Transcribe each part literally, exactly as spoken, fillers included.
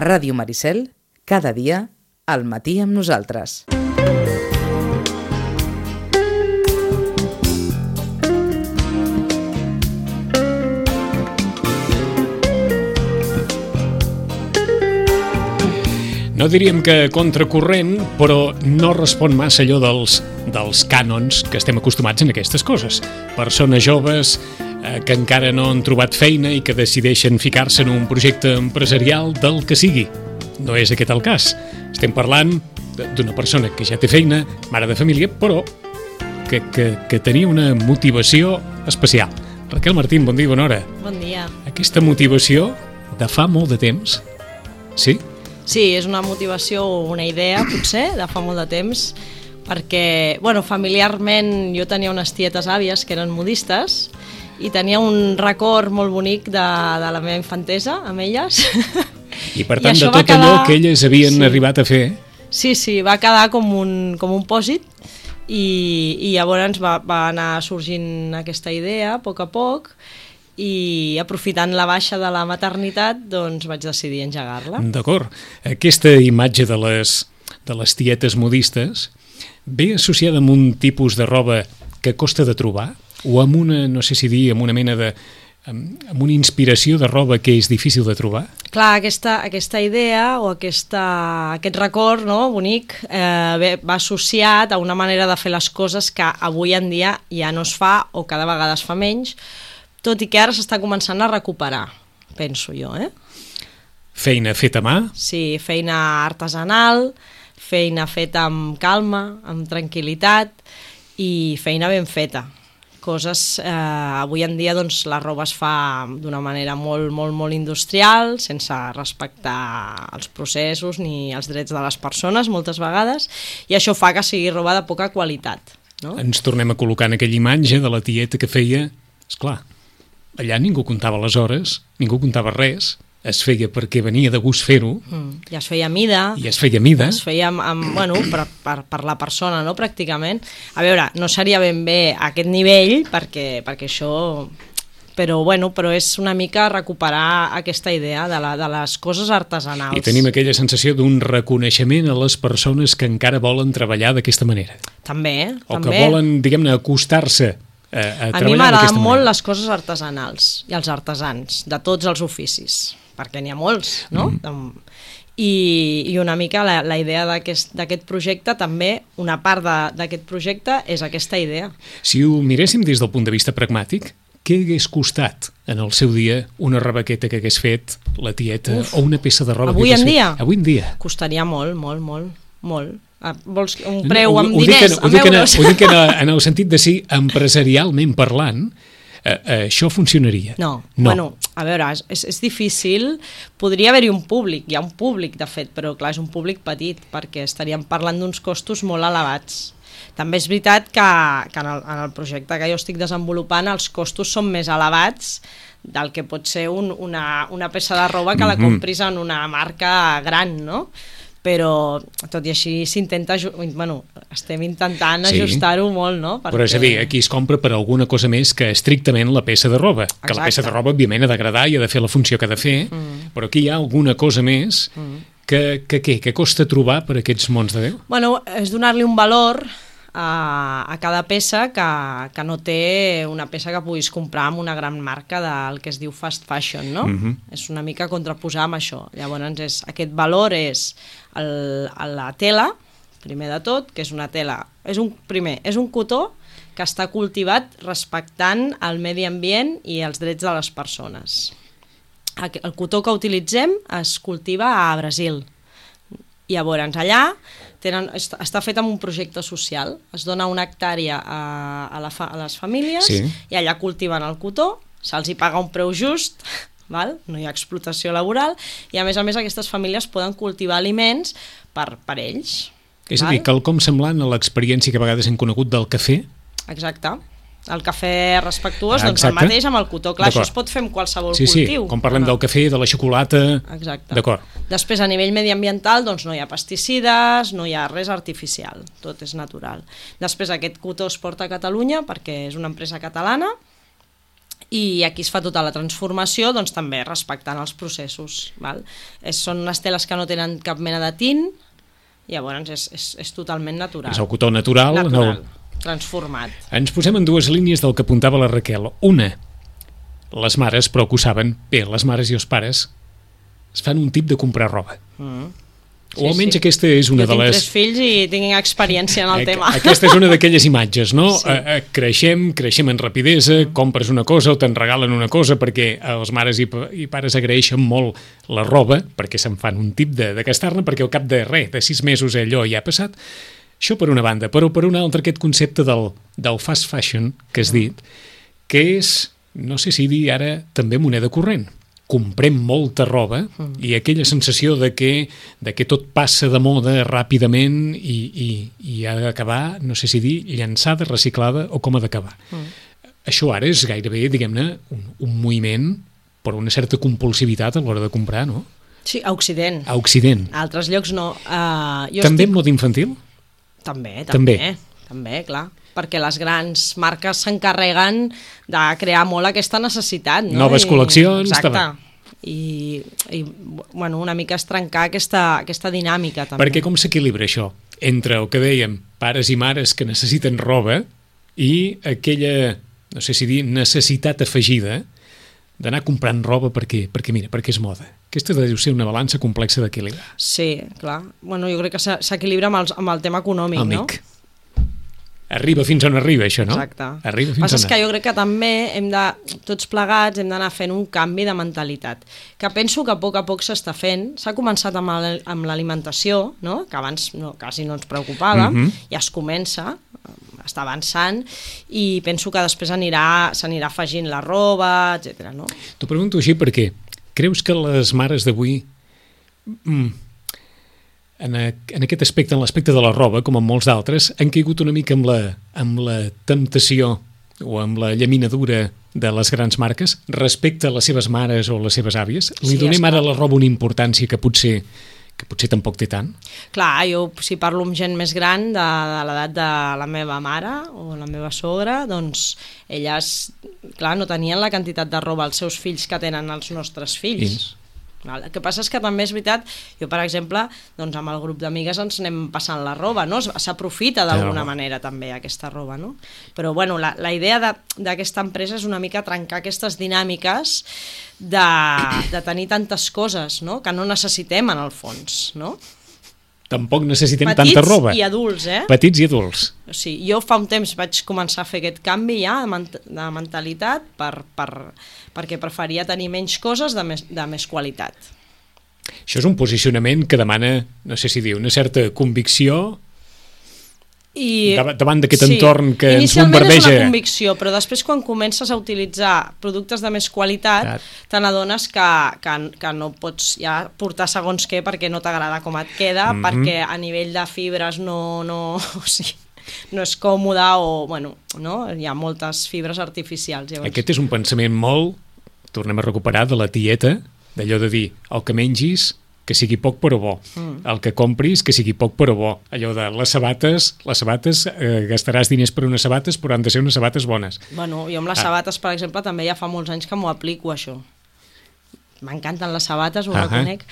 A Ràdio Maricel, cada dia, al matí amb nosaltres. No diríem que contracorrent, però no respon massa allò dels, dels cànons que estem acostumats en aquestes coses. Persones joves eh, que encara no han trobat feina i que decideixen ficar-se en un projecte empresarial del que sigui. No és aquest el cas. Estem parlant d'una persona que ja té feina, mare de família, però que, que, que tenia una motivació especial. Raquel Martín, bon dia i bona hora. Bon dia. Aquesta motivació de fa molt de temps, sí? Sí, és una motivació, una idea, potser, de fa molt de temps, perquè, bueno, familiarment jo tenia unes tietes àvies que eren modistes i tenia un record molt bonic de, de la meva infantesa amb elles. I per tant, I de tot quedar... allò que elles havien sí. arribat a fer... Sí, sí, va quedar com un, com un pòsit i, i llavors va, va anar sorgint aquesta idea a poc a poc i aprofitant la baixa de la maternitat doncs vaig decidir engegar-la. D'acord. Aquesta imatge de les, de les tietes modistes ve associada amb un tipus de roba que costa de trobar o amb una, no sé si dir, amb una mena de... amb una inspiració de roba que és difícil de trobar? Clar, aquesta, aquesta idea o aquesta, aquest record, no, bonic eh, va associat a una manera de fer les coses que avui en dia ja no es fa o cada vegada es fa menys, tot i que ara s'està començant a recuperar, penso jo, eh? Feina feta a mà? Sí, feina artesanal, feina feta amb calma, amb tranquil·litat i feina ben feta. Coses, eh, avui en dia doncs, la roba es fa d'una manera molt, molt, molt industrial, sense respectar els processos ni els drets de les persones moltes vegades, i això fa que sigui roba de poca qualitat, no? Ens tornem a col·locar en aquella imatge de la tieta que feia, esclar, allà ningú comptava les hores, ningú comptava res, es feia perquè venia de gust fer-ho. Mm, I es feia a mida. I es feia a mida. Es feia, amb, amb, bueno, per, per, per la persona, no?, pràcticament. A veure, no seria ben bé a aquest nivell, perquè, perquè això... Però, bueno, però és una mica recuperar aquesta idea de, la, de les coses artesanals. I tenim aquella sensació d'un reconeixement a les persones que encara volen treballar d'aquesta manera. També, o també. O que volen, diguem-ne, acostar-se a, a, a a mi m'agraden molt les coses artesanals i els artesans, de tots els oficis, perquè n'hi ha molts, no? Mm. I, i una mica la, la idea d'aquest projecte, també, una part d'aquest projecte és aquesta idea. Si ho miréssim des del punt de vista pragmàtic, què hagués costat en el seu dia una rebequeta que hagués fet la tieta Uf, o una peça de roba avui que hagués en dia? fet? Avui en dia? Costaria molt, molt, molt, molt. Vols un preu amb no, diners, en, amb euros? Ho dic en, en el sentit de si empresarialment parlant eh, eh, això funcionaria. No, no, bueno, a veure, és, és difícil, podria haver-hi un públic, hi ha un públic de fet, però clar, és un públic petit, perquè estaríem parlant d'uns costos molt elevats. També és veritat que, que en, el, en el projecte que jo estic desenvolupant els costos són més elevats del que pot ser un, una, una peça de roba que la compris en una marca gran, no? Però tot i així s'intenta, bueno, estem intentant sí. ajustar-ho molt, no? Perquè... Però és a dir, aquí es compra per alguna cosa més que estrictament la peça de roba. Exacte. Que la peça de roba, òbviament, ha d'agradar i ha de fer la funció que ha de fer, mm. però aquí hi ha alguna cosa més mm. que, que, que, que costa trobar per aquests mons de Déu? Bueno, és donar-li un valor a, a cada peça que, que no té una peça que puguis comprar amb una gran marca del que es diu fast fashion, no? Mm-hmm. És una mica contraposar amb això. Llavors, és, aquest valor és el, la tela, primer de tot, que és una tela, és un, primer, és un cotó que està cultivat respectant el medi ambient i els drets de les persones. El cotó que utilitzem es cultiva a Brasil. Llavors, allà tenen, està fet amb un projecte social, es dona una hectàrea a, a, la fa, a les famílies sí. i allà cultiven el cotó, se'ls hi paga un preu just, val? No hi ha explotació laboral, i a més a més aquestes famílies poden cultivar aliments per, per ells. És val? A dir, quelcom semblant a l'experiència que a vegades hem conegut del cafè? Exacte. El cafè respectuós, doncs el mateix amb el cotó. Clar, això es pot fer amb qualsevol sí, cultiu. Sí, com parlem no? del cafè, de la xocolata... Exacte. D'acord. Després, a nivell mediambiental, doncs no hi ha pesticides, no hi ha res artificial, tot és natural. Després, aquest cotó es porta a Catalunya perquè és una empresa catalana i aquí es fa tota la transformació, doncs també respectant els processos. Val? És, són unes teles que no tenen cap mena de tint, llavors és, és, és totalment natural. És el cotó natural. Natural, no... transformat. Ens posem en dues línies del que apuntava la Raquel. Una, les mares, però que ho saben, bé, les mares i els pares es fan un tip de comprar roba. Mm. O Sí, almenys sí. aquesta és una jo de les... tinc tres fills i tinc experiència en el tema. Aquesta és una d'aquelles imatges, no? Sí. Eh, eh, creixem, creixem en rapidesa, compres una cosa o te'n regalen una cosa perquè els mares i, i pares agraeixen molt la roba, perquè se'n fan un tip de, de gastar-ne, perquè al cap de res, de sis mesos allò ja ha passat. Això per una banda, però per una altra aquest concepte del, del fast fashion que has dit, que és, no sé si dir ara, també moneda corrent. Comprem molta roba mm. i aquella sensació de que, de que tot passa de moda ràpidament i, i, i ha d'acabar, no sé si dir, llançada, reciclada o com ha d'acabar. Mm. Això ara és gairebé, diguem-ne, un, un moviment per una certa compulsivitat a l'hora de comprar, no? Sí, a Occident. A Occident. A altres llocs no. Uh, jo també estic... en mode infantil? També, també. També. També, clar. Perquè les grans marques s'encarreguen de crear molt aquesta necessitat, no? Noves I... col·leccions. Exacte. També. I, i bueno, una mica es trencar aquesta, aquesta dinàmica també. Perquè com s'equilibra això entre el que dèiem, pares i mares que necessiten roba i aquella, no sé si dir, necessitat afegida d'anar comprant roba perquè, perquè mira, perquè és moda. Aquesta deu ser una balança complexa d'equilibrar. Sí, clar. Bueno, jo crec que s'equilibra amb, els, amb el tema econòmic, Amic. no? Arriba fins on arriba, això, no? Exacte. Arriba fins Passa on... és que jo crec que també hem de, tots plegats hem d'anar fent un canvi de mentalitat, que penso que a poc a poc s'està fent. S'ha començat amb, el, amb l'alimentació, no? Que abans no, quasi no ens preocupava, mm-hmm. ja es comença, està avançant, i penso que després anirà, s'anirà afegint la roba, etcètera. No? T'ho pregunto així perquè creus que les mares d'avui... Mm, En, a, en aquest aspecte, en l'aspecte de la roba, com en molts d'altres, han caigut una mica amb la, amb la temptació o amb la llaminadura de les grans marques respecte a les seves mares o les seves àvies? Li Sí, donem esclar. ara a la roba una importància que potser, que potser tampoc té tant? Clar, jo si parlo amb gent més gran de, de l'edat de la meva mare o la meva sogra, doncs elles, clar, no tenien la quantitat de roba als seus fills que tenen els nostres fills. Fins. El que passa és que també és veritat, jo per exemple, doncs amb el grup d'amigues ens anem passant la roba, no? S'aprofita d'alguna manera també aquesta roba, no? Però bueno, la, la idea d'aquesta empresa és una mica trencar aquestes dinàmiques de, de tenir tantes coses, no? Que no necessitem en el fons, no? Tampoc necessitem Petits tanta roba. i adults, eh? Petits i adults. O sigui, jo fa un temps vaig començar a fer aquest canvi ja de, ment de mentalitat per, per, perquè preferia tenir menys coses de més, de més qualitat. Això és un posicionament que demana, no sé si dir, una certa convicció I, davant d'aquest sí, entorn que ens inicialment bombardeja. és una convicció, però després quan comences a utilitzar productes de més qualitat, Clar. te n'adones que, que, que no pots ja portar segons què perquè no t'agrada com et queda, mm-hmm. perquè a nivell de fibres no, no, o sigui, no és còmode o, bueno, no? Hi ha moltes fibres artificials. Llavors. Aquest és un pensament molt, tornem a recuperar, de la tieta, d'allò de dir, el que mengis que sigui poc però bo, mm. el que compris que sigui poc però bo, allò de les sabates, les sabates, eh, gastaràs diners per unes sabates però han de ser unes sabates bones. Bueno, jo amb les ah. sabates, per exemple, també ja fa molts anys que m'ho aplico, això. M'encanten les sabates, ho uh -huh. reconec,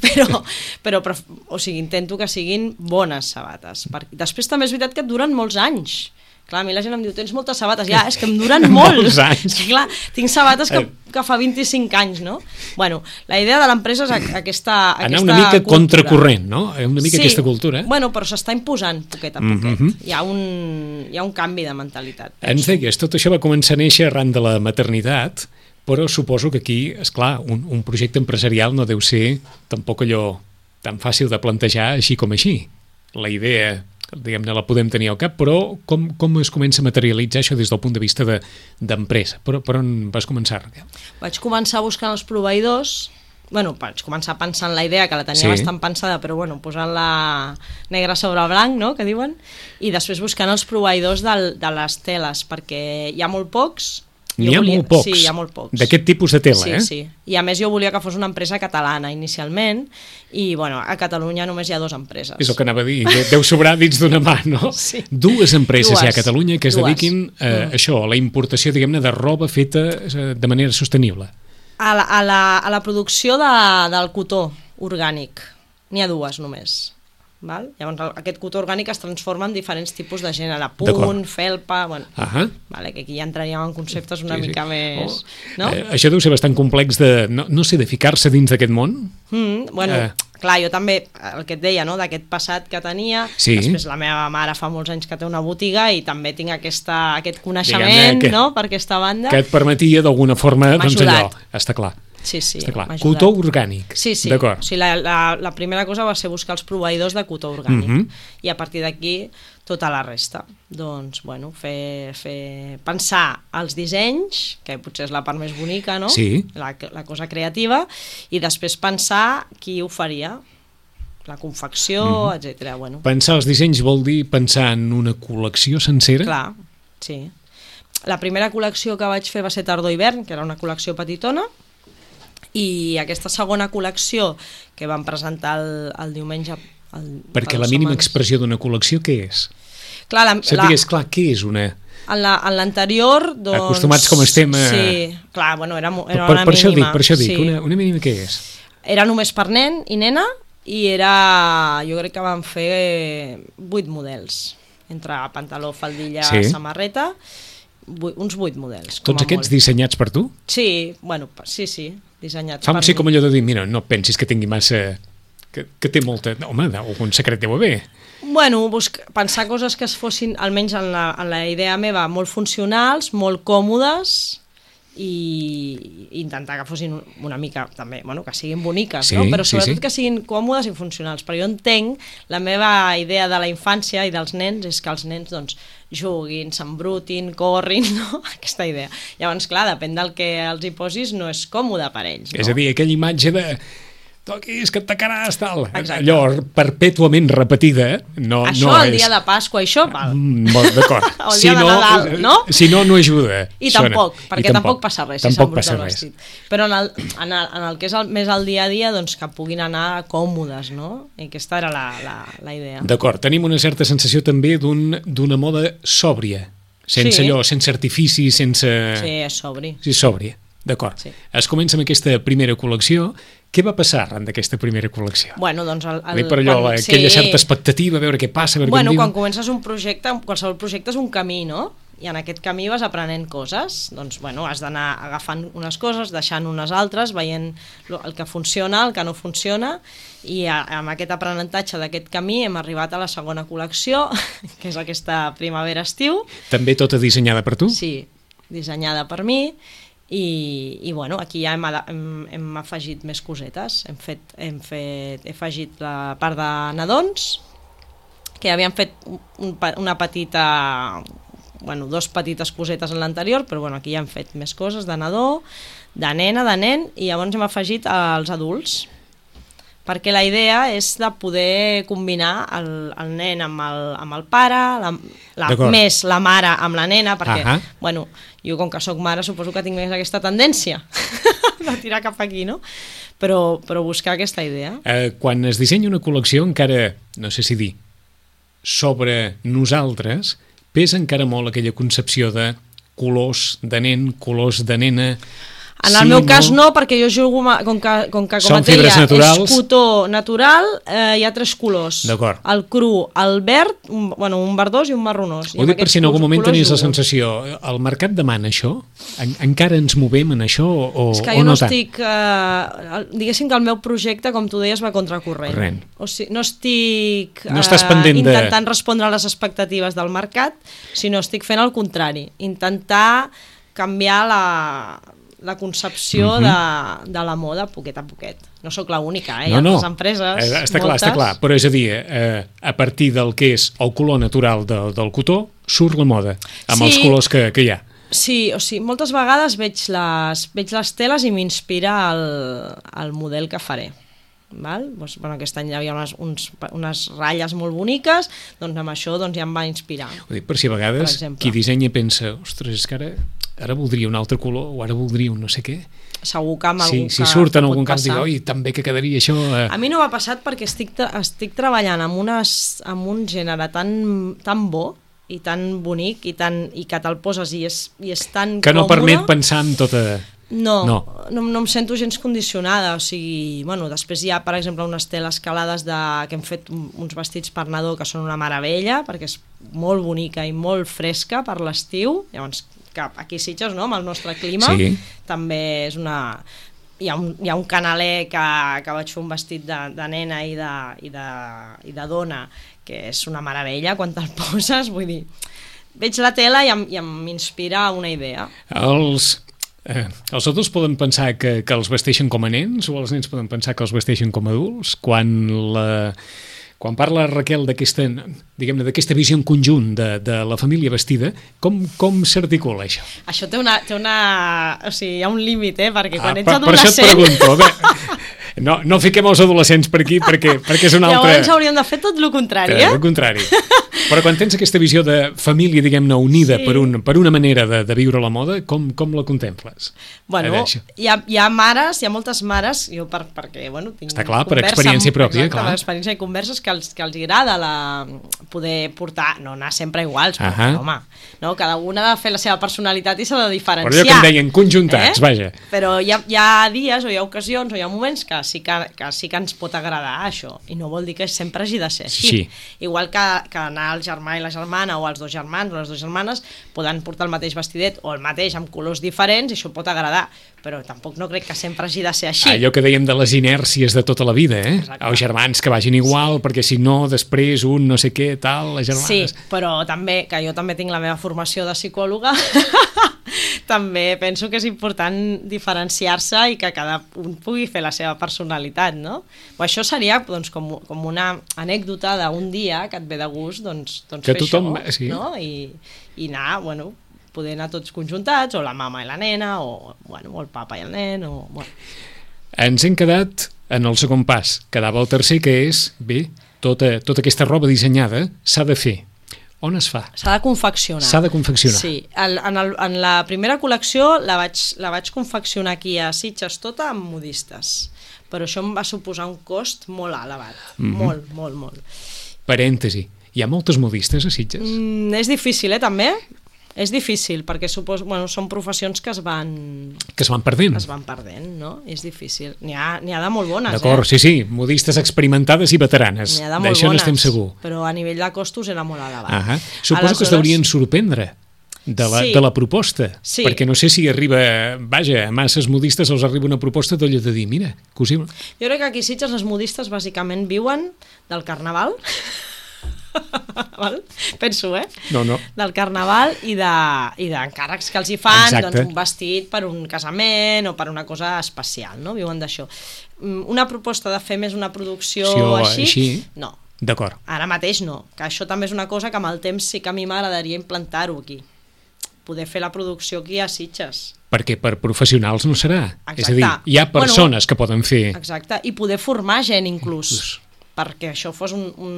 però, però, però, o sigui, intento que siguin bones sabates. Perquè després també és veritat que et duren molts anys. Clar, a mi la gent em diu, tens moltes sabates. Ja, és que em duren molt. Molts anys. És que, clar, tinc sabates que, que fa vint-i-cinc anys, no? Bueno, la idea de l'empresa és aquesta, aquesta Anar una mica cultura. Contracorrent, no? Una mica sí, aquesta cultura. Bueno, però s'està imposant poquet a poquet. Mm-hmm. Hi ha un, hi ha un canvi de mentalitat. Penso. Ens deies, tot això va començar a néixer arran de la maternitat, però suposo que aquí, és clar, un, un projecte empresarial no deu ser tampoc allò tan fàcil de plantejar així com així. La idea, diguem-ne, la podem tenir al cap, però com, com es comença a materialitzar això des del punt de vista d'empresa? De, per, per on vas començar, Raquel? Vaig començar buscant els proveïdors. Bueno, vaig començar pensant la idea, que la tenia sí. bastant pensada, però bueno, posant-la negre sobre blanc, no?, que diuen, i després buscant els proveïdors del, de les teles, perquè hi ha molt pocs, N'hi ha volia, molt pocs, sí, hi ha molt pocs. D'aquest tipus de tela, sí, eh? Sí, i a més jo volia que fos una empresa catalana inicialment, i bueno, a Catalunya només hi ha dues empreses. És el que anava a dir, deu sobrar dins d'una mà, no? Sí. Dues empreses Dues. hi ha a Catalunya que es Dues. dediquin a Mm. això, a la importació, diguem-ne, de roba feta eh, de manera sostenible. A la, a la, a la producció de, del cotó orgànic, n'hi ha dues només. Val? Llavors el, aquest cotó orgànic es transforma en diferents tipus de gènere, punt, felpa, bueno, Ahà. vale, que aquí ja entraríem en conceptes una Sí, sí. mica més... Oh. No? Eh, això deu ser bastant complex de, no, no sé, de ficar-se dins d'aquest món? Mm, bueno, Eh. clar, jo també, el que et deia, no?, d'aquest passat que tenia, Sí. després la meva mare fa molts anys que té una botiga i també tinc aquesta, aquest coneixement, Diguem-ne que- no?, per aquesta banda. Que et permetia d'alguna forma, M'ha doncs allò, ajudat. està clar. Sí, sí, Està clar. m'ha ajudat. Cotó orgànic. Sí, sí. D'acord. O sigui, la, la, la primera cosa va ser buscar els proveïdors de cotó orgànic. Mhm. I a partir d'aquí, tota la resta. Doncs, bueno, fer, fer, pensar els dissenys, que potser és la part més bonica, no? Sí. La, la cosa creativa, i després pensar qui ho faria, la confecció, Mhm. etcètera. Bueno, Pensar els dissenys vol dir pensar en una col·lecció sencera? clar, sí. La primera col·lecció que vaig fer va ser tardor-hivern, que era una col·lecció petitona, i aquesta segona col·lecció que vam presentar el, el diumenge... El, Perquè fa la dues mínima setmanes. expressió d'una col·lecció què és? Clar, la, Si et la, digués, clar, què és una... en la- en l'anterior, doncs... Acostumats com estem a- Sí, clar, bueno, era, era per, una per això dic, mínima. per això dic, sí. una, una mínima què és? Era només per nen i nena, i era... Jo crec que vam fer vuit models, entre pantaló, faldilla, Sí. samarreta, vuit, uns vuit models. com Tots a aquests molt. dissenyats per tu? Sí, bueno, sí, sí, dissenyats Fa per sí mi. com allò de dir, mira, no pensis que tingui massa... Que, que té molta... Home, algun secret deu haver. Bueno, busc, pensar coses que es fossin, almenys en la, en la idea meva, molt funcionals, molt còmodes, i intentar que fossin una mica també, bueno, que siguin boniques, Sí, no? Però sí, sobretot sí. que siguin còmodes i funcionals, però jo entenc, la meva idea de la infància i dels nens és que els nens doncs juguin, s'embrutin, corrin, no? Aquesta idea. Llavors, clar, depèn del que els hi posis, no és còmode per ells, no? És a dir, aquella imatge de... Toquis, que et tacaràs, tal. Exacte. Allò perpètuament repetida, no, Això no el és... dia de Pasqua, això, val. Mm, molt d'acord. O el dia de Nadal, no? Si no, no ajuda. I Sona. tampoc, perquè I tampoc, passa res si tampoc s'embruta passa el res. vestit. Però en el, en, el, en el que és el, més el dia a dia, doncs que puguin anar còmodes, no? I aquesta era la, la, la idea. D'acord, tenim una certa sensació també d'un- d'una moda sòbria, sense Sí. allò, sense artifici, sense... Sí, és sobri. Sí, sòbria, d'acord. Sí. Es comença amb aquesta primera col·lecció. Què va passar arran d'aquesta primera col·lecció? Bueno, doncs... El, el, Dic per allò, quan- la, aquella certa expectativa, a veure què passa, a veure Bueno, què em quan diu. comences un projecte, qualsevol projecte és un camí, no? I en aquest camí vas aprenent coses, doncs, bueno, has d'anar agafant unes coses, deixant unes altres, veient lo- el que funciona, el que no funciona, i a, amb aquest aprenentatge d'aquest camí hem arribat a la segona col·lecció, que és aquesta primavera-estiu, També tota dissenyada per tu? sí, dissenyada per mi, i, i bueno, aquí ja hem, ada- hem, hem afegit més cosetes, hem fet, hem fet, he afegit la part de nadons, que havíem fet un, pa- una petita, bueno, dos petites cosetes en l'anterior, però bueno, aquí ja hem fet més coses de nadó, de nena, de nen, i llavors hem afegit els adults, perquè la idea és de poder combinar el, el nen amb el, amb el pare, la, la, D'acord. més la mare amb la nena, perquè, Ahà. bueno, jo com que sóc mare suposo que tinc més aquesta tendència de tirar cap aquí, no? Però, però buscar aquesta idea. Eh, quan es dissenya una col·lecció, encara, no sé si dir, sobre nosaltres, pesa encara molt aquella concepció de colors de nen, colors de nena... En el Sí, meu cas no, perquè jo jugo, ma- com que, com que com Són a tela fibres naturals. és cotó natural, eh, hi ha tres colors. D'acord. El cru, el verd, un, bueno, un verdós i un marronós. I Ho amb dic per aquests si en algun colors moment tenies la jugo. sensació, el mercat demana això? En, encara ens movem en això o, És que o jo no, no tant? estic... Eh, el- diguéssim que el meu projecte, com tu deies, va contracorrent. Corrent. O sigui, no estic No estàs pendent de- intentant respondre a les expectatives del mercat, sinó estic fent el contrari. Intentar canviar la, la concepció Mhm. de, de la moda poquet a poquet. No sóc l'única, eh? Hi No, ha no. altres empreses, Eh, està clar, moltes. està clar, però és a dir, eh, a partir del que és el color natural del, del cotó, surt la moda, amb Sí. els colors que, que hi ha. Sí, o sigui, moltes vegades veig les, veig les teles i m'inspira el, el model que faré. Val? Doncs, bueno, aquest any hi havia unes, uns, unes ratlles molt boniques, doncs amb això doncs, ja em va inspirar. Ho dic per si a vegades Per exemple. qui dissenya pensa, ostres, és que ara ara voldria un altre color, o ara voldria un no sé què. Segur que amb sí, algú si que, surt en que algun pot cas, dic, passar. oi, també que quedaria això... Eh. A mi no m'ha passat perquè estic, estic treballant amb, unes, amb un gènere tan, tan bo i tan bonic i, tan, i que te'l poses i és, i és tan que no còmode. permet pensar en tota... No, no. No. no, no em sento gens condicionada, o sigui, bueno, després hi ha, per exemple, unes teles calades de, que hem fet uns vestits per nadó que són una meravella, perquè és molt bonica i molt fresca per l'estiu, llavors que aquí a Sitges, no?, amb el nostre clima, sí. també és una... Hi ha un, hi ha un canaler que, que vaig fer un vestit de, de nena i de, i, de, i de dona, que és una meravella quan te'l poses, vull dir, veig la tela i em, i m'inspira una idea. Els... Eh, els adults poden pensar que, que els vesteixen com a nens o els nens poden pensar que els vesteixen com a adults? Quan, la, quan parla Raquel d'aquesta, diguem-ne, d'aquesta visió en conjunt de, de la família vestida, com, com s'articula això? Això té una, té una... O sigui, hi ha un límit, eh? Perquè quan ah, ets per, adolescent... Per això et pregunto, a veure, no, no fiquem els adolescents per aquí perquè, perquè és una altra... Llavors hauríem de fer tot el contrari, eh? El contrari. Però quan tens aquesta visió de família, diguem-ne, unida sí. per, un, per una manera de, de viure la moda, com, com la contemples? Bueno, hi ha, hi ha mares, hi ha moltes mares, jo per, perquè, bueno, tinc Està clar, per experiència amb, pròpia, exacte, clar. per experiència i converses que els, que els agrada la, poder portar, no anar sempre iguals, però, uh-huh. home, no? Cada una ha de fer la seva personalitat i s'ha de diferenciar. Però allò que em deien, conjuntats, eh? Vaja. Però hi ha, hi ha dies o hi ha ocasions o hi ha moments que sí que, que sí que ens pot agradar això, i no vol dir que sempre hagi de ser així. Sí. Igual que, que anar el germà i la germana o els dos germans o les dues germanes poden portar el mateix vestidet o el mateix amb colors diferents i això pot agradar, però tampoc no crec que sempre hagi de ser així. Allò que dèiem de les inèrcies de tota la vida, eh? Exacte. Els germans que vagin igual, sí. perquè si no, després un no sé què, tal, les germanes... Sí, però també, que jo també tinc la meva formació de psicòloga, també penso que és important diferenciar-se i que cada un pugui fer la seva personalitat, no? O això seria doncs, com, com una anècdota d'un dia que et ve de gust doncs, doncs que fer tothom, això, sí. no? I, i anar, bueno, poder anar tots conjuntats, o la mama i la nena, o, bueno, o el papa i el nen, o... Bueno. Ens hem quedat en el segon pas. Quedava el tercer, que és, bé, tota, tota aquesta roba dissenyada s'ha de fer. On es fa? S'ha de confeccionar. S'ha de confeccionar. Sí, el, en, el, en la primera col·lecció la vaig, la vaig confeccionar aquí a Sitges tota amb modistes, però això em va suposar un cost molt elevat, mm-hmm. molt, molt, molt. Parèntesi, hi ha moltes modistes a Sitges? Mm, és difícil, eh, també? És difícil, perquè supos, bueno, són professions que es van... Que es van perdent. Es van perdent, no? És difícil. N'hi ha, n'hi ha de molt bones, D'acord, eh? sí, sí, modistes experimentades i veteranes. N'hi ha de molt D'això bones, n'estem segur. Però a nivell de costos era molt elevat. Ah, suposo Aleshores... que es deurien sorprendre de la, sí. de la proposta, sí. perquè no sé si arriba, vaja, a masses modistes els arriba una proposta d'allò de dir, mira, cosí... Jo crec que aquí a Sitges les modistes bàsicament viuen del carnaval, val? Penso, eh? No, no. Del carnaval i d'encàrrecs de, que els hi fan, exacte. Doncs un vestit per un casament o per una cosa especial, no? Viuen d'això. Una proposta de fer més una producció sí, així, així, no. D'acord. Ara mateix no, que això també és una cosa que amb el temps sí que a mi m'agradaria implantar-ho aquí, poder fer la producció aquí a Sitges. Perquè per professionals no serà. Exacte. És a dir, hi ha persones bueno, que poden fer... Exacte, i poder formar gent inclús. inclús. perquè això fos un, un,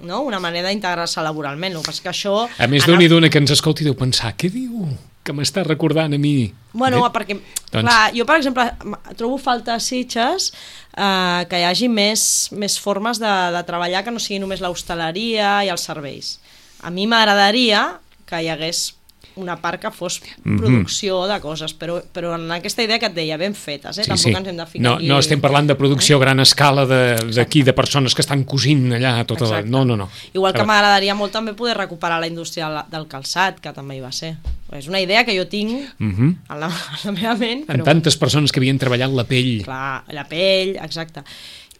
no? una manera d'integrar-se laboralment. El que és que això... A més d'un i d'una que ens escolti deu pensar, què diu? Que m'està recordant a mi. Bueno, eh? perquè, doncs... clar, jo, per exemple, trobo falta a Sitges eh, que hi hagi més, més formes de, de treballar que no sigui només l'hostaleria i els serveis. A mi m'agradaria que hi hagués una part que fos producció de coses, però, però en aquesta idea que et deia, ben fetes, eh? Sí, Tampoc sí. ens hem de ficar no, aquí... No estem parlant de producció a eh? gran escala d'aquí, de, de persones que estan cosint allà tota la... No, no, no. Igual que m'agradaria molt també poder recuperar la indústria del calçat, que també hi va ser. És una idea que jo tinc uh -huh. a, la, a la meva ment. Però... En tantes persones que havien treballat la pell. Clar, la pell, exacte.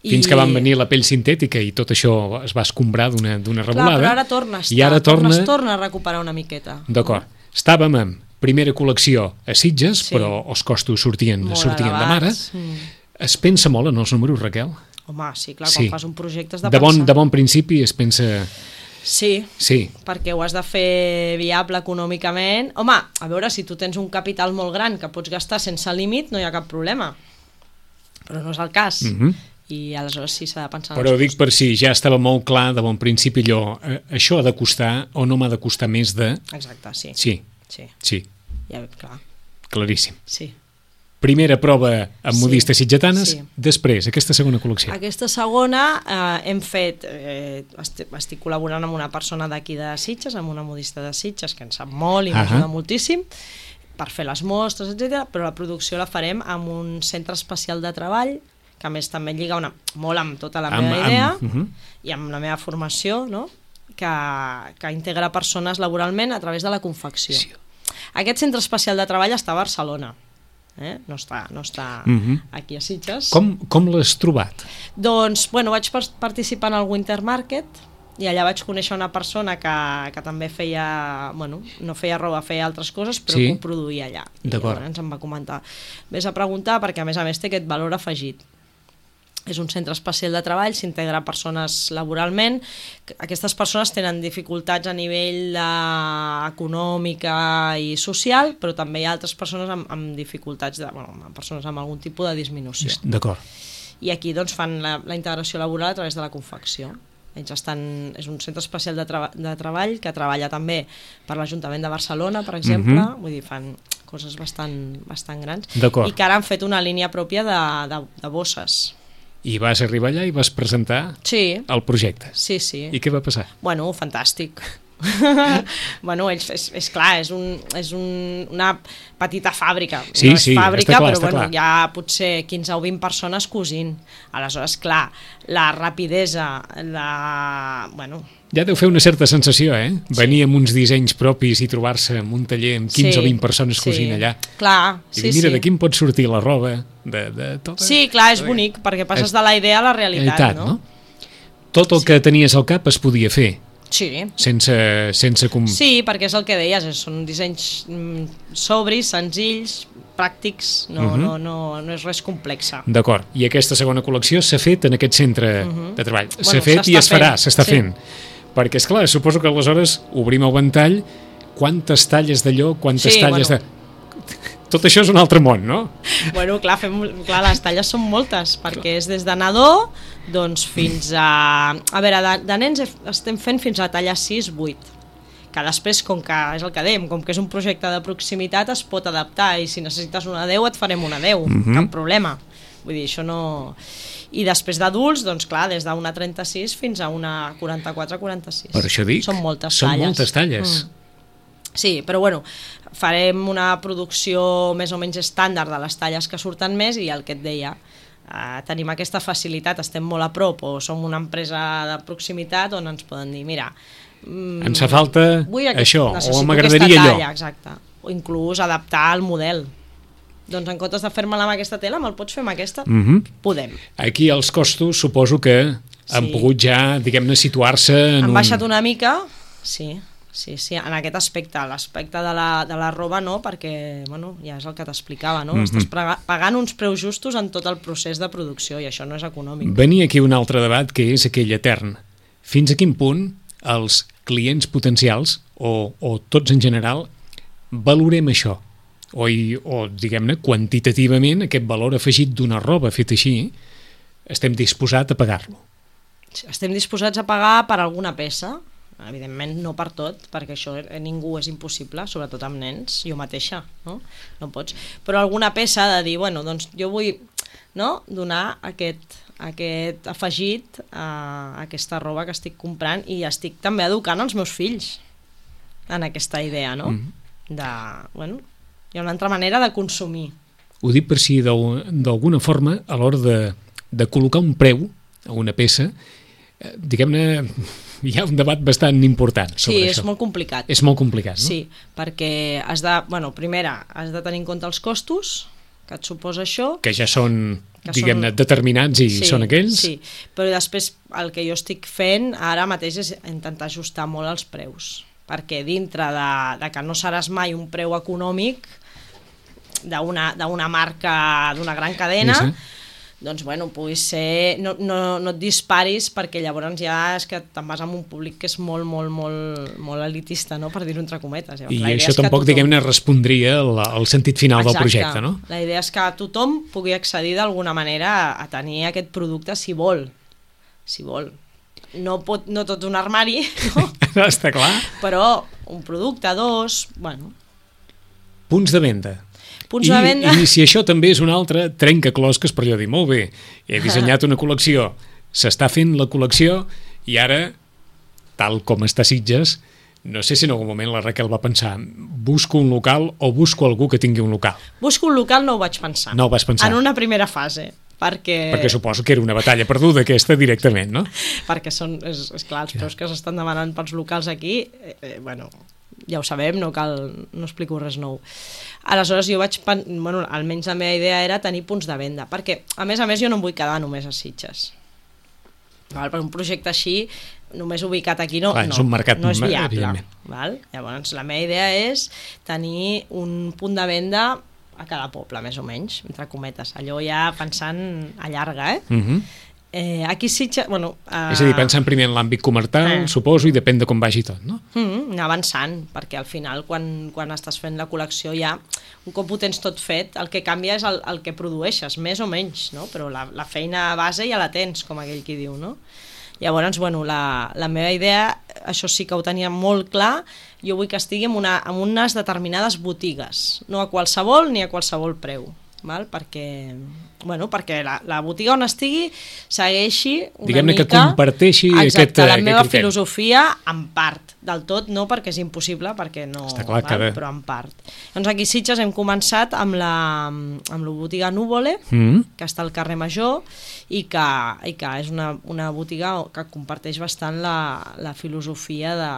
Fins I... que van venir la pell sintètica i tot això es va escombrar d'una revolada. Clar, però ara torna a estar, I ara torna... torna, torna a recuperar una miqueta. D'acord. Estàvem en primera col·lecció a Sitges, sí. però els costos sortien, sortien de mare. Mm. Es pensa molt en els números, Raquel? Home, sí, clar, quan sí. fas un projecte has de, de bon, pensar. De bon principi es pensa... Sí, sí, perquè ho has de fer viable econòmicament. Home, a veure, si tu tens un capital molt gran que pots gastar sense límit, no hi ha cap problema. Però no és el cas. Mm-hmm. I aleshores sí s'ha de pensar... Però dic per si ja estava molt clar de bon principi allò, eh, això ha de costar o no m'ha de costar més de... Exacte, sí. Sí, sí. sí. Ja, clar. Claríssim. Sí. Primera prova amb Sí, modistes sitgetanes, sí. Després, aquesta segona col·lecció. Aquesta segona eh, hem fet, eh, estic, estic col·laborant amb una persona d'aquí de Sitges, amb una modista de Sitges, que en sap molt i m'ajuda moltíssim, per fer les mostres, etcètera. Però la producció la farem amb un centre especial de treball, que a més també lliga una, molt amb tota la meva Amb- idea amb- mhm. i amb la meva formació, no? que, que integra persones laboralment a través de la confecció. Sí. Aquest centre especial de treball està a Barcelona, eh? no està, no està Mhm. aquí a Sitges. Com, com l'has trobat? Doncs, bueno, vaig par participar en el Winter Market i allà vaig conèixer una persona que, que també feia, bueno, no feia roba, feia altres coses, però Sí. que ho produïa allà. I D'acord. llavors em va comentar, vés a preguntar perquè a més a més té aquest valor afegit. És un centre especial de treball, s'integra persones laboralment. Aquestes persones tenen dificultats a nivell de... econòmica i social, però també hi ha altres persones amb, amb dificultats, de, bueno, amb persones amb algun tipus de disminució. D'acord. I aquí doncs, fan la, la integració laboral a través de la confecció. Ells estan, és un centre especial de, treba, de treball que treballa també per l'Ajuntament de Barcelona, per exemple, Mhm. vull dir, fan coses bastant, bastant grans, D'acord. i que ara han fet una línia pròpia de, de, de bosses. I vas arribar allà i vas presentar Sí, el projecte. sí, sí. I què va passar? Bueno, fantàstic. bueno, ells, és, és clar, és, un, és un, una petita fàbrica. Sí, no és sí, fàbrica, està clar, però està bueno, clar. hi ha potser quinze o vint persones cosint. Aleshores, clar, la rapidesa, la... Bueno, Ja deu fer una certa sensació, eh? Venir amb uns dissenys propis i trobar-se en un taller amb quinze sí, o vint persones cosint sí. allà. Clar, I sí, dir, mira, sí. d'aquí em pot sortir la roba de, de tota... Sí, clar, és bonic, perquè passes de la idea a la realitat, realitat, no? no? Tot el que tenies al cap es podia fer, Sí, sense... sense com... sí, perquè és el que deies, és- són dissenys mm, sobris, senzills, pràctics, no, Mhm. no, no, no és res complexa. D'acord. I aquesta segona col·lecció s'ha fet en aquest centre de treball. S'ha Mhm. Bueno, fet i s'està es farà, fent, s'està sí. fent. Perquè, és clar, suposo que aleshores obrim el ventall, quantes talles d'allò, quantes Sí, talles bueno. de... Tot això és un altre món, no? Bueno, clar, fem, clar, les talles són moltes, perquè és des de nadó doncs, fins a... A veure, de, de nens estem fent fins a talla sis vuit, que després, com que és el que dèiem, com que és un projecte de proximitat, es pot adaptar, i si necessites una deu et farem una deu, Mhm. cap problema. Vull dir, això no... I després d'adults, doncs clar, des d'una trenta-sis fins a una quaranta-quatre quaranta-sis. Per això dic, Són moltes són talles. moltes talles. Mm. Sí, però bueno, farem una producció més o menys estàndard de les talles que surten més, i el que et deia, eh, tenim aquesta facilitat, estem molt a prop o som una empresa de proximitat on ens poden dir, mira, mm, Ens fa falta vull aquest- això, o necessito m'agradaria aquesta allò. talla, exacte. O inclús adaptar el model. Doncs en comptes de fer-me-la amb aquesta tela, me'l pots fer amb aquesta? Mhm. Podem. Aquí els costos suposo que han Sí. pogut ja, diguem-ne, situar-se en Han un... baixat una mica, sí, sí, sí, en aquest aspecte. L'aspecte de la, de la roba no, perquè bueno, ja és el que t'explicava, no? Mhm. Estàs prega- pagant uns preus justos en tot el procés de producció, i això no és econòmic. Venia aquí un altre debat, que és aquell etern. Fins a quin punt els clients potencials, o, o tots en general, valorem això? O, i- o diguem-ne, quantitativament, aquest valor afegit d'una roba feta així, estem disposats a pagar-lo. Estem disposats a pagar per alguna peça, evidentment no per tot, perquè això a ningú és impossible, sobretot amb nens, jo mateixa, no? No pots. Però alguna peça de dir, bueno, doncs jo vull, no?, donar aquest, aquest afegit a aquesta roba que estic comprant, i estic també educant els meus fills en aquesta idea, no? Mhm. De, bueno, hi ha una altra manera de consumir. Ho dic per si d'al- d'alguna forma, a l'hora de, de col·locar un preu a una peça, eh, diguem-ne, hi ha un debat bastant important sobre Sí, això. és molt complicat. És molt complicat, no? Sí, perquè has de, bueno, primera, has de tenir en compte els costos que et suposa això. Que ja són, Que diguem-ne, són- determinats i són aquells. Sí, però després el que jo estic fent ara mateix és intentar ajustar molt els preus, perquè dintre de, de que no seràs mai un preu econòmic d'una d'una marca, d'una gran cadena, Sí, sí. doncs bueno, puguis ser, no, no, no et disparis, perquè llavors ja és que te'n vas amb un públic que és molt, molt, molt, molt elitista, no?, per dir-ho entre cometes. Llavors, I la idea això és que tampoc, tothom- diguem-ne, respondria al, al sentit final del Exacte. projecte, no? La idea és que tothom pugui accedir d'alguna manera a, a tenir aquest producte si vol. Si vol. No, pot, no tot un armari, no? Està clar. Però un producte, dos, bueno... Punts de venda. Punts I, de venda... I si això també és un altre trencaclosques per allò dir, molt bé, he dissenyat una col·lecció, s'està fent la col·lecció i ara, tal com està Sitges, no sé si en algun moment la Raquel va pensar busco un local o busco algú que tingui un local. Busco un local no ho vaig pensar. No ho vas pensar. En una primera fase. Perquè... perquè suposo que era una batalla perduda aquesta directament, no? Perquè són, és, és clar, els preus que s'estan demanant pels locals aquí, eh, eh, bueno, ja ho sabem, no cal, no explico res nou. Aleshores jo vaig, bueno, almenys la meva idea era tenir punts de venda, perquè a més a més jo no em vull quedar només a Sitges. Val? Per un projecte així, només ubicat aquí no, clar, no, és un mercat, no és viable. val? Llavors la meva idea és tenir un punt de venda a cada poble, més o menys, entre cometes. Allò ja pensant a llarga, eh? Uh-huh. eh aquí Sitges... Bueno, uh... És a dir, pensant primer en l'àmbit comercial, eh. suposo, i depèn de com vagi tot, no? Mm, anar avançant, perquè al final, quan, quan estàs fent la col·lecció, ja, un cop ho tens tot fet, el que canvia és el, el que produeixes, més o menys, no? Però la, la feina base ja la tens, com aquell qui diu, no? Llavors, bueno, la, la meva idea, això sí que ho tenia molt clar, jo vull que estigui en, una, en unes determinades botigues, no a qualsevol ni a qualsevol preu, val? Perquè, bueno, perquè la, la botiga on estigui segueixi una Diguem-ne mica... que comparteixi exacte, aquest, la aquest meva criteri. filosofia en part, del tot no, perquè és impossible, perquè no... Està clar, val? cada... Però en part. Doncs aquí a Sitges hem començat amb la, amb la botiga Núvole, Mm. que està al carrer Major, i que, i que és una, una botiga que comparteix bastant la, la filosofia de,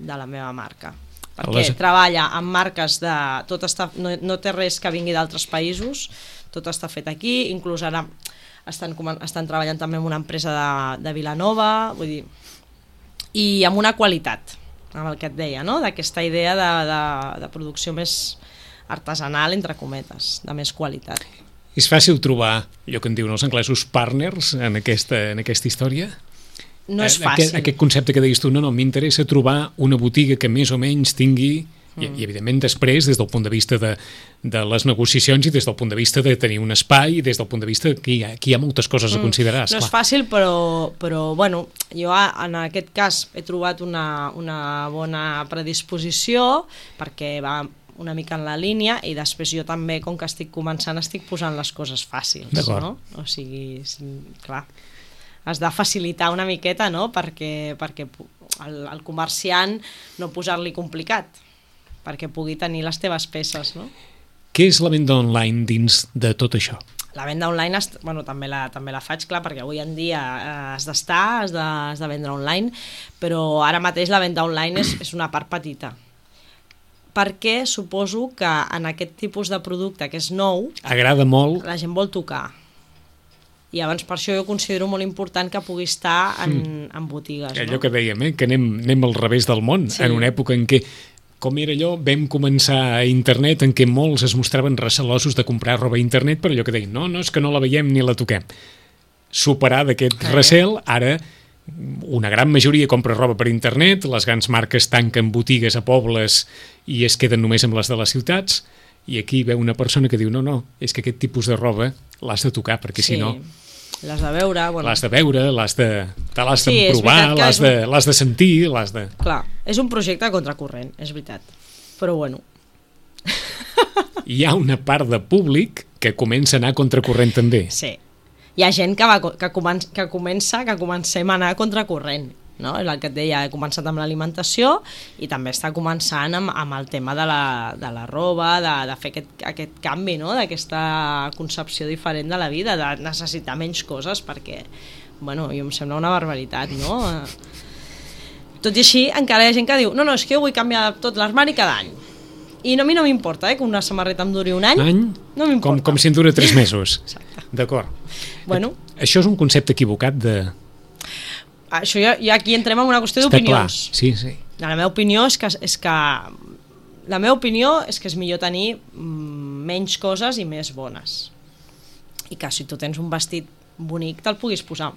de la meva marca. Perquè Les... treballa amb marques de... Tot està, no, no té res que vingui d'altres països, tot està fet aquí, inclús ara estan, estan treballant també amb una empresa de, de Vilanova, vull dir, i amb una qualitat, amb el que et deia, no? D'aquesta idea de, de, de producció més artesanal, entre cometes, de més qualitat. És fàcil trobar, allò que en diuen els anglesos, partners en aquesta, en aquesta història? No és fàcil. Aquest, aquest concepte que deies tu, no, no, m'interessa trobar una botiga que més o menys tingui, mm. i, i evidentment després, des del punt de vista de, de les negociacions i des del punt de vista de tenir un espai i des del punt de vista que hi ha, que hi ha moltes coses a considerar. Mm. No és fàcil, però, però bueno, jo en aquest cas he trobat una, una bona predisposició perquè va una mica en la línia i després jo també, com que estic començant, estic posant les coses fàcils, no? O sigui, clar, has de facilitar una miqueta, no? Perquè, perquè el, el comerciant no posar-li complicat, perquè pugui tenir les teves peces, no? Què és la venda online dins de tot això? La venda online, bueno, també la, també la faig, clar, perquè avui en dia eh, has d'estar, has de, has de vendre online, però ara mateix la venda online és, és una part petita. Perquè suposo que en aquest tipus de producte que és nou... Agrada molt. La gent vol tocar. I llavors per això jo considero molt important que pugui estar en, mm. en botigues. Allò no? que dèiem, eh? que anem, anem al revés del món, sí. En una època en què, com era allò, vam començar a internet en què molts es mostraven recelosos de comprar roba a internet, però allò que deien, no, no, és que no la veiem ni la toquem. Superar d'aquest eh. recel, ara... una gran majoria compra roba per internet, les grans marques tanquen botigues a pobles i es queden només amb les de les ciutats, i aquí veu una persona que diu no, no, és que aquest tipus de roba l'has de tocar, perquè sí, si no... l'has de veure... Bueno. L'has de veure, l'has de, te l'has sí, de provar, l'has de, un... l'has de sentir, l'has de... Clar, és un projecte contracorrent, és veritat, però bueno... Hi ha una part de públic que comença a anar contracorrent també. Sí. Hi ha gent que, va, que, comença, que comença, que comencem a anar a contracorrent, no? És el que et deia, he començat amb l'alimentació i també està començant amb, amb el tema de la, de la roba, de, de fer aquest, aquest canvi, no? D'aquesta concepció diferent de la vida, de necessitar menys coses, perquè, bueno, jo em sembla una barbaritat, no? Tot i així, encara hi ha gent que diu, no, no, és que jo vull canviar tot l'armari cada any. I no, a mi no m'importa, eh, que una samarreta em duri un any. Any? No m'importa. Com, com si en dura tres mesos. Exacte. D'acord. Bueno. Això és un concepte equivocat de... Això ja, ja aquí entrem en una qüestió d'opinions. Sí, sí. La meva opinió és que, és que... La meva opinió és que és millor tenir menys coses i més bones. I que si tu tens un vestit bonic te'l puguis posar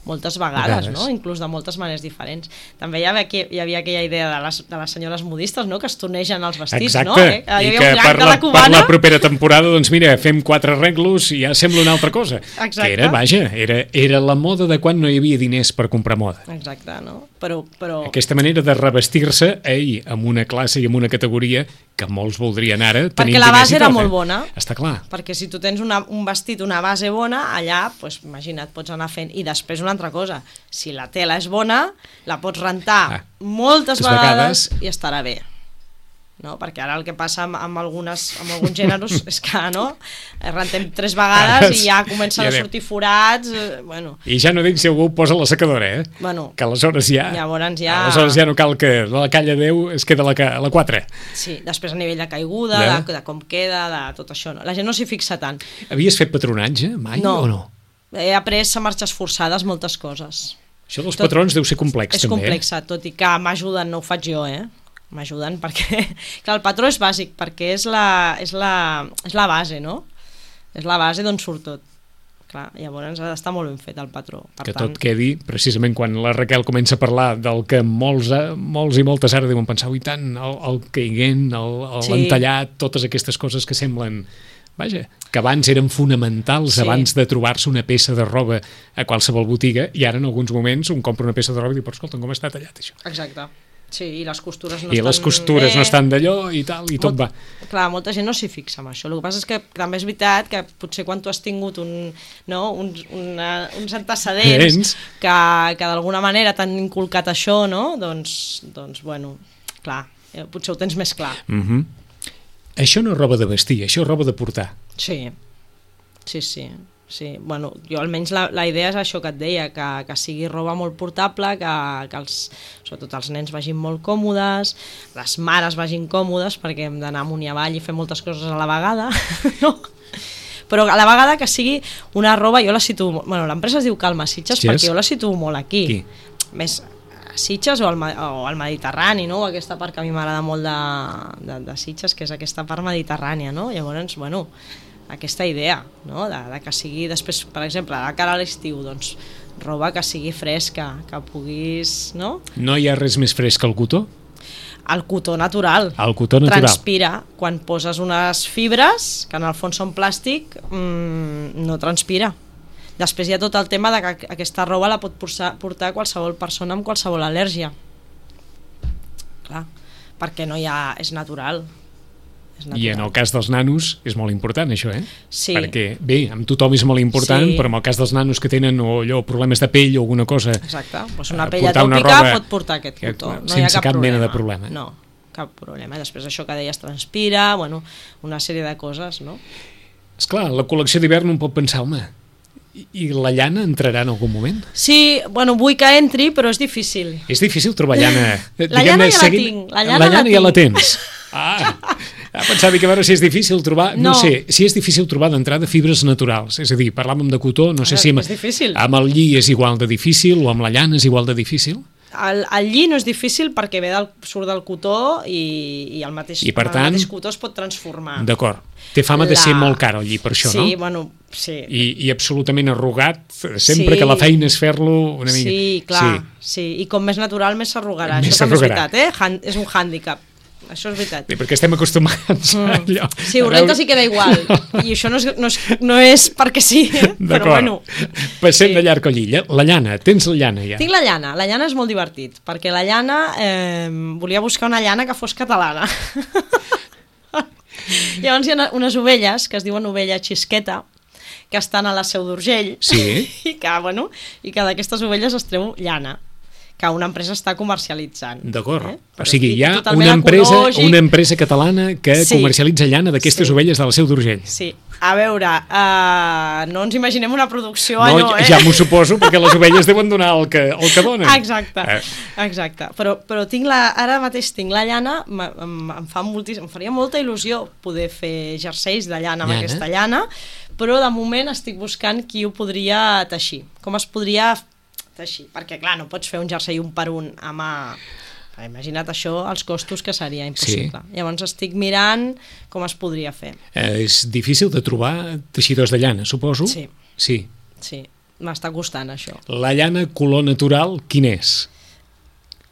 moltes vegades, vegades. No? Inclús de moltes maneres diferents. També hi havia, hi havia aquella idea de les, de les senyores modistes, no? Que es tornegen els vestits. Exacte, no? Eh? I que per la, la per la propera temporada, doncs mira, fem quatre arreglos i ja sembla una altra cosa. Exacte. Que era, vaja, era, era la moda de quan no hi havia diners per comprar moda. Exacte, no? Però, però... Aquesta manera de revestir-se, ei, amb una classe i amb una categoria que molts voldrien ara tenir perquè la base era molt bona. Està clar. Perquè si tu tens una, un vestit, una base bona, allà, pues, imagina't, pots anar fent. I després una altra cosa, si la tela és bona, la pots rentar ah, moltes vegades, vegades i estarà bé. No? Perquè ara el que passa amb, amb, algunes, amb alguns gèneres és que no? Rentem tres vegades i ja comencen ja a sortir forats, eh, bueno. I ja no dic si algú posa la secadora, eh? Bueno, que aleshores ja, llavors ja aleshores ja no cal que la calla deu es queda la, la quatre. Sí, després a nivell de caiguda, ja. de, de com queda, de tot això, no? La gent no s'hi fixa tant. Havies fet patronatge mai no. o no? He après a marxes forçades moltes coses. Això dels tot, patrons deu ser complex és també. És complex, eh? Tot i que m'ajuden, no ho faig jo, eh? M'ajuden perquè que el patró és bàsic, perquè és la, és la, és la base, no? És la base d'on surt tot. Clar, llavors ha d'estar molt ben fet el patró. Per que tant... tot quedi, precisament quan la Raquel comença a parlar del que molts, molts i moltes ara deuen pensar, i tant, el, el caiguent, el, el sí. entallat, totes aquestes coses que semblen... Vaja, que abans eren fonamentals, sí. abans de trobar-se una peça de roba a qualsevol botiga, i ara en alguns moments un compra una peça de roba i diu, però escolta, com està tallat això? Exacte. Sí, i les costures no I estan... les costures bé. no estan d'allò i tal, i tot Molt, va. Clar, molta gent no s'hi fixa en això. El que passa és que també és veritat que potser quan tu has tingut un, no, uns, una, uns antecedents que, que d'alguna manera t'han inculcat això, no? Doncs, doncs bueno, clar, potser ho tens més clar. Mm-hmm. Això no és roba de vestir, això és roba de portar. Sí, sí, sí. Sí, bueno, jo almenys la, la idea és això que et deia, que, que sigui roba molt portable, que, que els, sobretot els nens vagin molt còmodes, les mares vagin còmodes, perquè hem d'anar amunt i avall i fer moltes coses a la vegada, no? Però a la vegada que sigui una roba, jo la situo... Bueno, l'empresa es diu Calma Sitges, yes. perquè jo la situo molt aquí. Qui? Més a Sitges o al, o al Mediterrani, no? O aquesta part que a mi m'agrada molt de, de, de Sitges, que és aquesta part mediterrània, no? Llavors, bueno... aquesta idea, no? de, de que sigui després, per exemple, de cara a l'estiu, doncs roba que sigui fresca, que puguis, no? No hi ha res més fresc que el cotó? El cotó natural. El cotó natural. Transpira. Quan poses unes fibres, que en el fons són plàstic, mmm, no transpira. Després hi ha tot el tema de que aquesta roba la pot portar, portar qualsevol persona amb qualsevol al·lèrgia. Clar, perquè no hi ha... és natural. I en el cas dels nanos és molt important això, eh? Sí. Perquè, bé, amb tothom és molt important, sí. però en el cas dels nanos que tenen o allò, problemes de pell o alguna cosa... Exacte, pues una pell atòpica pot portar aquest cotó. No sense hi ha cap, cap problema. mena de problema. No, cap problema. Després això que deies transpira, bueno, una sèrie de coses, no? Esclar, la col·lecció d'hivern un pot pensar, home, i la llana entrarà en algun moment? Sí, bueno, vull que entri, però és difícil. És difícil trobar llana. La llana ja la tinc. La llana, la llana la ja la tens. Ah, pensava que a veure si és difícil trobar, no, no sé, si és difícil trobar d'entrada fibres naturals, és a dir, parlàvem de cotó, no sé si amb, amb el lli és igual de difícil o amb la llana és igual de difícil. El, el lli no és difícil perquè ve del, surt del cotó i, i el mateix, I per el tant, mateix cotó es pot transformar. D'acord, té fama la... de ser molt car el lli per això, sí, no? Sí, bueno, sí. I, I absolutament arrugat, sempre sí. que la feina és fer-lo una mica... Sí, clar, sí. sí. I com més natural més s'arrugarà, això també és veritat, eh? Han, és un hàndicap. Això és veritat. Sí, perquè estem acostumats mm. a allò. Sí, ho rentes i queda igual. I això no és, no és, no és perquè sí, eh? Però bueno. Passem sí. de llarg al lli. La llana, tens la llana ja? Tinc la llana. La llana és molt divertit, perquè la llana... Eh, volia buscar una llana que fos catalana. Llavors hi ha unes ovelles, que es diuen ovella xisqueta, que estan a la Seu d'Urgell, sí. i que, bueno, i que d'aquestes ovelles es treu llana, que una empresa està comercialitzant. D'acord. Eh? O sigui, hi ha una empresa, ecològic. una empresa catalana que sí. comercialitza llana d'aquestes sí. ovelles de la Seu d'Urgell. Sí. A veure, uh, no ens imaginem una producció no, allò, eh? Ja m'ho suposo, perquè les ovelles deuen donar el que, el que donen. Exacte, eh. exacte. Però, però tinc la, ara mateix tinc la llana, em, em, fa moltíssim, em faria molta il·lusió poder fer jerseis de llana amb llana. aquesta llana, però de moment estic buscant qui ho podria teixir. Com es podria teixir? Perquè, clar, no pots fer un jersei un per un a mà. Imagina't això, els costos que seria impossible. Sí. Llavors estic mirant com es podria fer. Eh, és difícil de trobar teixidors de llana, suposo? Sí. Sí. Sí. m'està costant això. La llana color natural, quin és?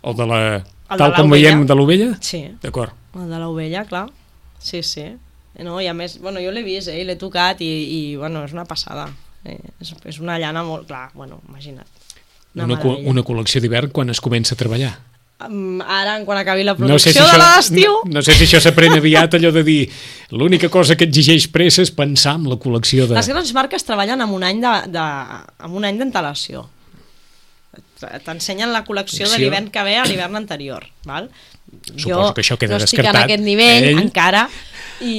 O de la... El tal de com l'ovella. veiem de l'ovella? Sí. D'acord. El de l'ovella, clar. Sí, sí. No, i a més, bueno, jo l'he vist, eh, l'he tocat i, i bueno, és una passada. Eh, és, és una llana molt... Clar, bueno, imagina't. Una, Una, co una col·lecció d'hivern quan es comença a treballar. Um, ara, quan acabi la producció no sé si de això, la d'estiu... No, no sé si això s'aprèn aviat, allò de dir l'única cosa que exigeix pressa és pensar en la col·lecció de... Les grans marques treballen amb un any de, de, amb un any d'antelació. T'ensenyen la col·lecció de l'hivern que ve a l'hivern anterior, val? Suposo jo que això queda no descartat. estic en aquest nivell Ell... encara i,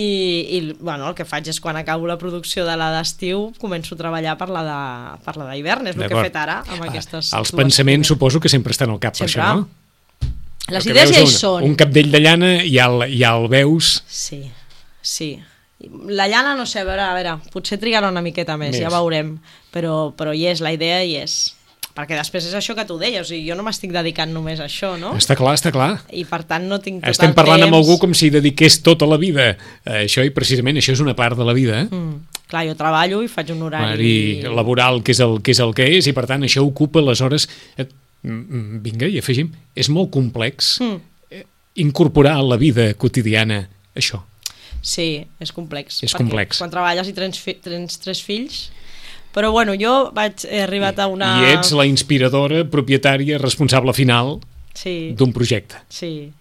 i bueno, el que faig és quan acabo la producció de la d'estiu començo a treballar per la de, per la d'hivern, és el que he fet ara amb aquestes Els pensaments primeres. Suposo que sempre estan al cap sempre. Per això, no? Les el idees ja hi un, són. Un capdell de llana ja el, ja el veus. Sí, sí. La llana, no sé, a veure, a veure potser trigarà una miqueta més, més. Ja veurem, però, però hi és, la idea hi és. Perquè després és això que tu deies, o sigui, jo no m'estic dedicant només a això, no? Està clar, està clar. I per tant no tinc tot Estem el parlant temps... amb algú com si dediqués tota la vida a això, i precisament això és una part de la vida. Eh? Mm. Clar, jo treballo i faig un horari... I laboral, que és, el, que és el que és, i per tant això ocupa les hores... Vinga, i afegim, és molt complex mm. incorporar a la vida quotidiana això. Sí, és complex. És complex. Quan treballes i tens, fi tens tres fills... Però bueno, jo vaig, he arribat a una... I ets la inspiradora, propietària, responsable final sí. d'un projecte. Sí.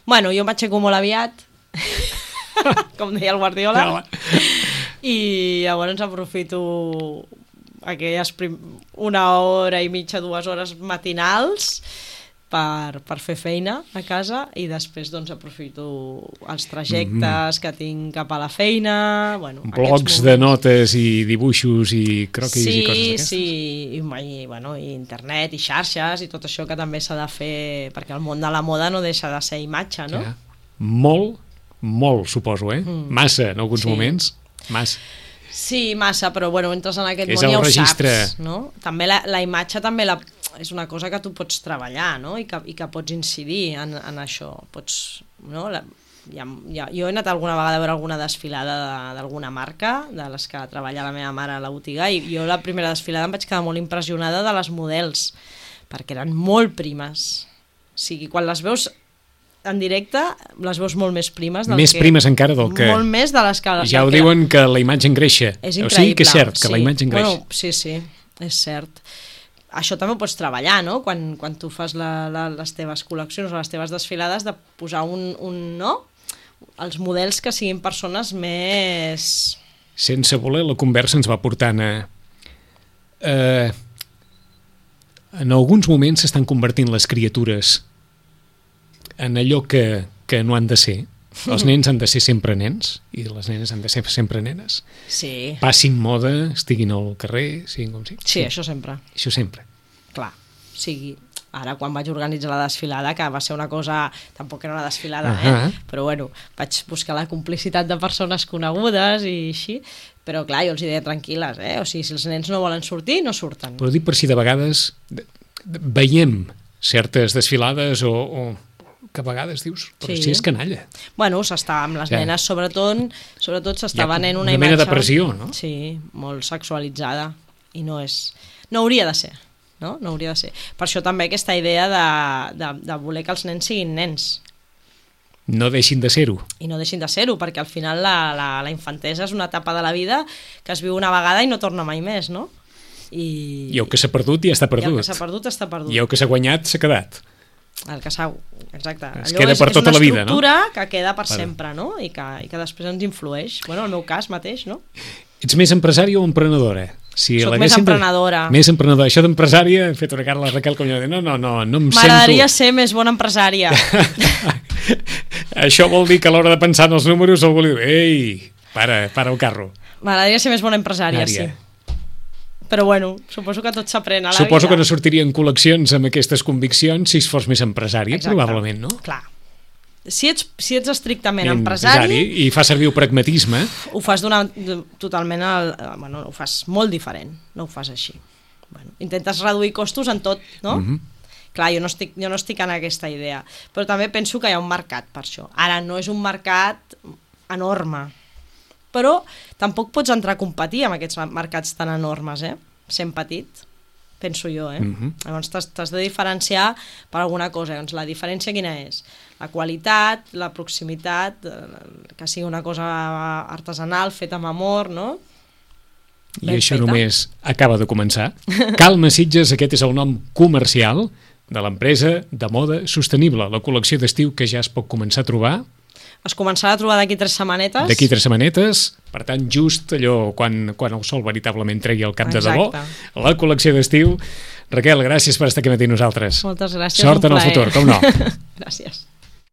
Bueno, jo m'aixeco molt aviat, com deia el Guardiola, no. I llavors aprofito aquelles prim... una hora i mitja, dues hores matinals per, per fer feina a casa i després doncs aprofito els trajectes mm-hmm. que tinc cap a la feina, bueno, blocs de notes i dibuixos i croquis sí, i coses d'aquestes. Sí, i, i, bueno, i internet i xarxes i tot això que també s'ha de fer perquè el món de la moda no deixa de ser imatge, no? Ja. Molt, molt suposo, eh? Mm. Massa en alguns sí. moments, massa. Sí, massa, però bueno, entres en aquest és món i ja ho registre. saps, no? També la, la imatge també la, és una cosa que tu pots treballar, no? I que, i que pots incidir en, en això. Pots, no? La, ja, ja, jo he anat alguna vegada a veure alguna desfilada d'alguna marca, de les que treballa la meva mare a la botiga, i jo la primera desfilada em vaig quedar molt impressionada de les models, perquè eren molt primes. O sigui, quan les veus en directe les veus molt més primes del més que, primes encara del que molt més de les que ja ho diuen que la imatge engreixa, és increïble, o sigui que és cert que sí. la imatge engreixa. Bueno, sí, sí, és cert. Això també ho pots treballar, no? Quan, quan tu fas la, la, les teves col·leccions o les teves desfilades, de posar un, un no? Els models que siguin persones més... Sense voler, la conversa ens va portant a... Eh, en alguns moments s'estan convertint les criatures en allò que, que no han de ser. Els nens han de ser sempre nens i les nenes han de ser sempre nenes. Sí. Passin moda, estiguin al carrer, siguin com sigui. Sí, sí, això sempre. Això sempre. Clar, o sigui, ara quan vaig organitzar la desfilada, que va ser una cosa, tampoc era una desfilada, uh -huh. eh? Però bueno, vaig buscar la complicitat de persones conegudes i així, però clar, jo els deia tranquil·les, eh? O sigui, si els nens no volen sortir, no surten. Però dic per si de vegades de, de, veiem certes desfilades o... o que a vegades dius, però sí. si és canalla. Bueno, s'està amb les ja. nenes, sobretot, sobretot s'està venent una, una imatge... mena de pressió, no? Sí, molt sexualitzada, i no és... No hauria de ser, no? No hauria de ser. Per això també aquesta idea de, de, de voler que els nens siguin nens. No deixin de ser-ho. I no deixin de ser-ho, perquè al final la, la, la infantesa és una etapa de la vida que es viu una vegada i no torna mai més, no? I, I el que s'ha perdut ja està perdut. I el que s'ha perdut està perdut. I el que s'ha guanyat s'ha quedat. El que s'ha... Exacte. Es Allò queda és, per tota la vida, no? És una estructura que queda per vale. sempre, no? I que, I que després ens influeix. Bueno, en el meu cas mateix, no? Ets més empresària o emprenedora? Si Soc més emprenedora. Més emprenedora. Això d'empresària, he fet una cara a la Raquel com jo de no, no, no, no em sento... M'agradaria ser més bona empresària. Això vol dir que a l'hora de pensar en els números algú li diu, ei, para, para el carro. M'agradaria ser més bona empresària, Ària. sí. Però bueno, suposo que tot s'aprèn a la suposo vida. que no sortirien col·leccions amb aquestes conviccions si es fos més empresari, Exacte. probablement, no? Clar. Si ets, si ets estrictament empresari, empresari i fa servir el pragmatisme, ho fas d'una totalment al, bueno, ho fas molt diferent, no ho fas així. Bueno, intentes reduir costos en tot, no? Mm-hmm. Clar, jo no, estic, jo no estic en aquesta idea, però també penso que hi ha un mercat per això. Ara no és un mercat enorme, però tampoc pots entrar a competir amb aquests mercats tan enormes, eh? sent petit, penso jo, eh? Uh-huh. Llavors t'has de diferenciar per alguna cosa. Doncs la diferència quina és? La qualitat, la proximitat, que sigui una cosa artesanal, feta amb amor, no? I això feta. Només acaba de començar. Calma Sitges, aquest és el nom comercial de l'empresa de moda sostenible, la col·lecció d'estiu que ja es pot començar a trobar. Es començarà a trobar d'aquí tres setmanetes. D'aquí tres setmanetes, per tant, just allò quan, quan el sol veritablement tregui el cap. Exacte. De debò, la col·lecció d'estiu. Raquel, gràcies per estar aquí matí nosaltres. Moltes gràcies, Sort un en el futur, com no. Gràcies.